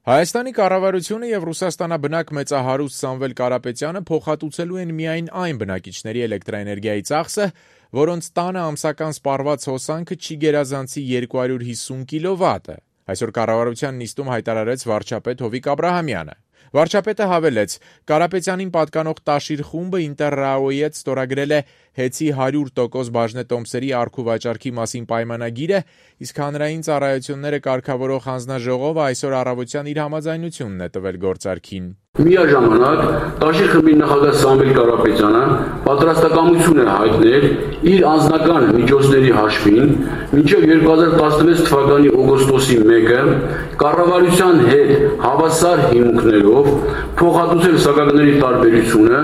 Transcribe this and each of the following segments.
Հայաստանի կառավարությունը եւ Ռուսաստանաբնակ մեծահարուստ Սամվել Կարապետյանը փոխհատուցելու են միայն այն բնակիչների էլեկտրաէներգիայի ծախսը, որոնց տանը ամսական սպառված հոսանքը չի գերազանցի 250 կՎտ-ը։ Այսօր կառավարության նիստում հայտարարեց վարչապետ Հովիկ Աբրահամյանը։ Վարչապետը հավելեց, Կարապետյանին պատկանող Տաշիր խումբը Ինտերրաոյի հետ ստորագրել է հեծի 100% բաժնետոմսերի առք ու վաճառքի մասին պայմանագիրը, իսկ հանրային ծառայությունները կարգավորող հանձնաժողովը այսօր առավոտյան իր համաձայնությունն է տվել գործարքին։ Միաժամանակ Տաշիր խմբի նախագահ Սամվել Կարապետյանը պատրաստակամություն է հայտնել իր անձնական միջոցների հաշվին մինչև 2016 թվականի օգոստոսի 1-ը կառավարության հետ հավասար հիմունքներով փոխհատուցել սակագների տարբերությունը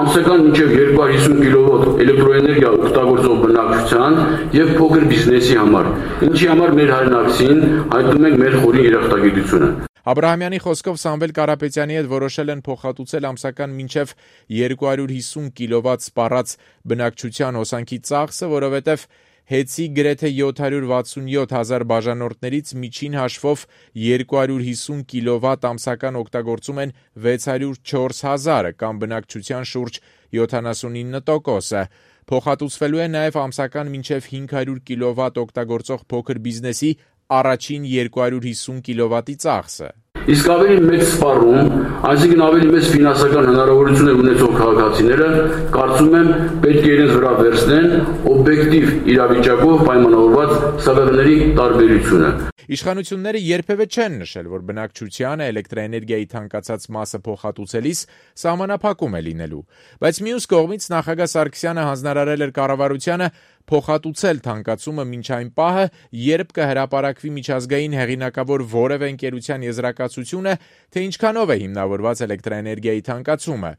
ամսական մինչև 250 կՎտ էլեկտրոէներգիա օգտագործող բնակչության եւ փոքր բիզնեսի համար, ինչի համար մեր հայրենակցին հայտնում ենք մեր խորին երախտագիտությունը։ Աբրահամյանի խոսքով Սամվել Կարապետյանի հետ որոշել են փոխհատուցել ամսական մինչև 250 կՎտ սպառած բնակչության հոսանքի ծախսը, որովհետև հեծի գրեթե 767 հազար բաժանորդներից միջին հաշվով 250 կՎտ ամսական օգտագործում են 604 հազարը կամ բնակչության շուրջ 79%-ը։ Փոխհատուցվելու է նաև ամսական մինչև 500 կՎտ օգտագործող փոքր բիզնեսի առաջին 250 կՎտ-ի ծախսը։ Իսկ ավելի մեծ սպառում, այսինքն ավելի մեծ ֆինանսական հնարավորություններ ունեցող քաղաքացիները, կարծում եմ, պետք է իրենց վրա վերցնեն օբյեկտիվ իրավիճակով պայմանավորված սակագների տարբերությունը։ Իշխանությունները երբևէ չեն նշել, որ բնակչությանը էլեկտրաէներգիայի թանկացած մասը փոխհատուցելիս սահմանափակում է լինելու, բայց մյուս կողմից նախագահ Սարգսյանը հանձնարարել էր կառավարությանը փոխհատուցել թանկացումը մինչ այն պահը, երբ կհրապարակվի միջազգային հեղինակավոր որևէ ընկերության եզրակացությունը, թե ինչքանով է հիմնավորված էլեկտրաէներգիայի թանկացումը,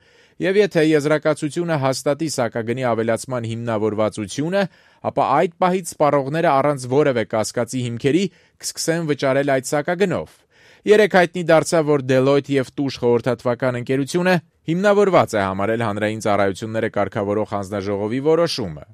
եւ եթե եզրակացությունը հաստատի սակագնի ավելացման հիմնավորվածությունը, ապա այդ պահից սպառողները առանց որևէ կասկածի հիմքերի կսկսեն վճարել այդ սակագնով։ Երեկ հայտնի դարձավ, որ Deloitte եւ Tush խորհրդատվական ընկերությունը հիմնավորված է համարել հանրային ծառայությունները կարգավորող հանձնաժողովի որոշումը։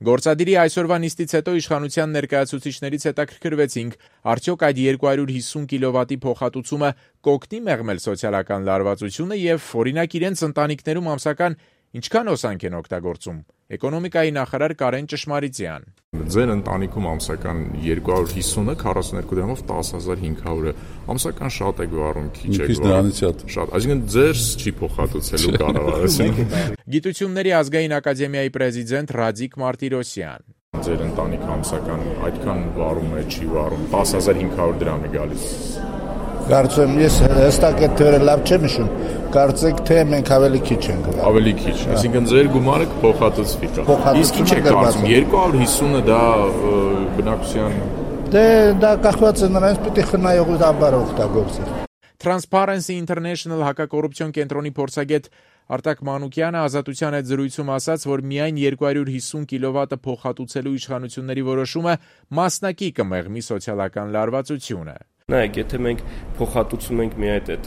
Գործադիրի այսօրվա նիստից հետո իշխանության ներկայացուցիչներից հետաքրքրվեցինք, արդյոք այդ 250 կՎտ-ի փոխհատուցումը կօգնի մեղմել սոցիալական լարվածությունը եւ օրինակ իրենց ընտանիքներում ամսական ինչքան հոսանք են օգտագործում։ Էկոնոմիկայի նախարար Կարեն Ճշմարիտյան։ Ձեր ընտանիքում ամսական 250-ը 42 դրամով 10500-ը ամսական շատ է գարում, քիչ է գարում։ Շատ, այսինքն ձեր չի փոխհատուցելու կառավարությունը։ Գիտությունների ազգային ակադեմիայի պրեզիդենտ Ռադիկ Մարտիրոսյան։ Ձեր ընտանիքը ամսական այդքան վարում է, չի վարում, 10500 դրամ է գալիս։ Կարծում եմ, ես հստակ այդ թվերը լավ չեմ հիշում, կարծեք թե մենք ավելի քիչ ենք գալ։ Ավելի քիչ, այսինքն ձեր գումարը կփոխհատուցվի։ Իսկ ինչ է կարծում, 250-ը դա բնակչության Դե դա կախված է նրանից, պիտի խնայողաբար օգտագործել։ Transparency International հակակոռուպցիոն կենտրոնի փորձագետ Արտակ Մանուկյանը Ազատության հետ զրույցում ասաց, որ միայն 250 կՎտ-ը փոխհատուցելու իշխանությունների որոշումը մասնակի կմեղմի սոցիալական լարվածությունը։ Նայեք, եթե մենք փոխհատուցում ենք միայն այդ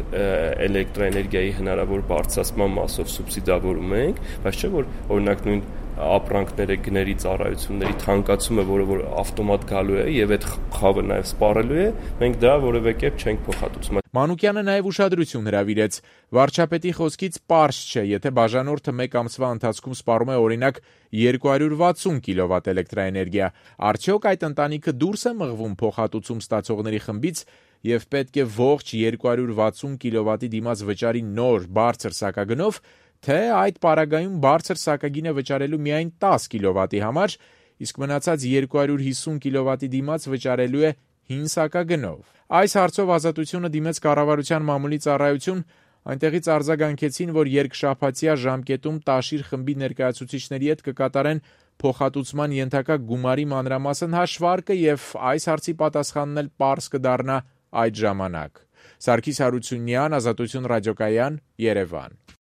էլեկտրաէներգիայի հնարավոր բարձրացման մասով սուբսիդավորում ենք, բայց չէ որ օրինակ նույն ապրանքները, գների, ծառայությունների թանկացումը, որը որ ավտոմատ գալու է եւ այդ խավը նաեւ սպառելու է, մենք դա որևէ կերպ չենք փոխհատուցում։ Մանուկյանը նաեւ ուշադրություն հրավիրեց. վարչապետի խոսքից պարզ չէ, եթե բաժանորդը 1 ամսվա ընթացքում սպառում է օրինակ 260 կՎտ էլեկտրաէներգիա, արդյոք այդ ընտանիքը դուրս է մղվում փոխհատուցում ստացողների խմբից եւ պետք է ողջ 260 կՎտ-ի դիմաց վճարի նոր բարձր սակագնով, թե այդ պարագայում բարձր սակագինը վճարելու միայն 10 կՎտ-ի համար, իսկ մնացած 250 կՎտ-ի դիմաց վճարելու է 5 սակագնով։ Այս հարցով Ազատությունը դիմեց կառավարության մամուլի ծառայություն, այնտեղից արձագանքեցին, որ երկշաբաթյա ժամկետում Տաշիր խմբի ներկայացուցիչների հետ կկատարեն փոխհատուցման ենթակա գումարի մանրամասն հաշվարկը եւ այս հարցի պատասխանն էլ պարզ կդառնա այդ ժամանակ։ Սարգիս Հարությունյան, Ազատություն ռադիոկայան, Երևան։